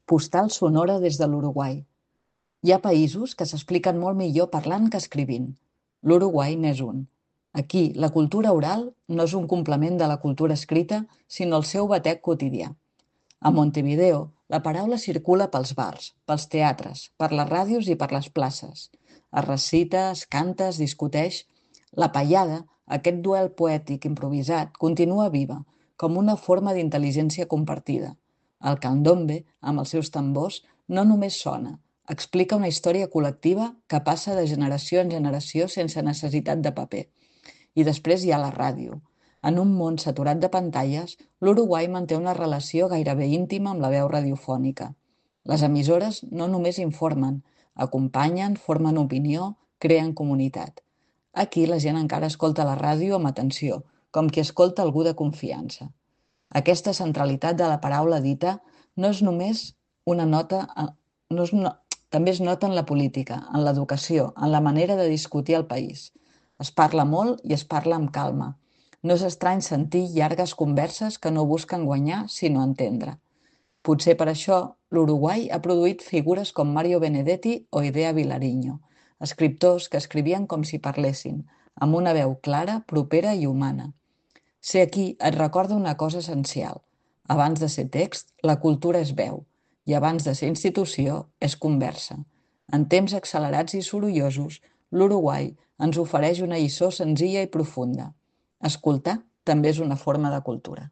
Postal sonora des de l'Uruguai. Hi ha països que s'expliquen molt millor parlant que escrivint. L'Uruguai n'és un. Aquí, la cultura oral no és un complement de la cultura escrita, sinó el seu batec quotidià. A Montevideo, la paraula circula pels bars, pels teatres, per les ràdios i per les places. Es recita, es canta, es discuteix. La paiada, aquest duel poètic improvisat, continua viva, com una forma d'intel·ligència compartida. El candombe, amb els seus tambors, no només sona, explica una història col·lectiva que passa de generació en generació sense necessitat de paper. I després hi ha la ràdio. En un món saturat de pantalles, l'Uruguai manté una relació gairebé íntima amb la veu radiofònica. Les emissores no només informen, acompanyen, formen opinió, creen comunitat. Aquí la gent encara escolta la ràdio amb atenció, com qui escolta algú de confiança. Aquesta centralitat de la paraula dita no és només una nota, no és una, també es nota en la política, en l'educació, en la manera de discutir el país. Es parla molt i es parla amb calma. No és estrany sentir llargues converses que no busquen guanyar, sinó entendre. Potser per això l'Uruguai ha produït figures com Mario Benedetti o Idea Vilariño, escriptors que escrivien com si parlessin, amb una veu clara, propera i humana. Ser aquí et recorda una cosa essencial. Abans de ser text, la cultura és veu, i abans de ser institució, és conversa. En temps accelerats i sorollosos, l'Uruguai ens ofereix una lliçó senzilla i profunda. Escoltar també és una forma de cultura.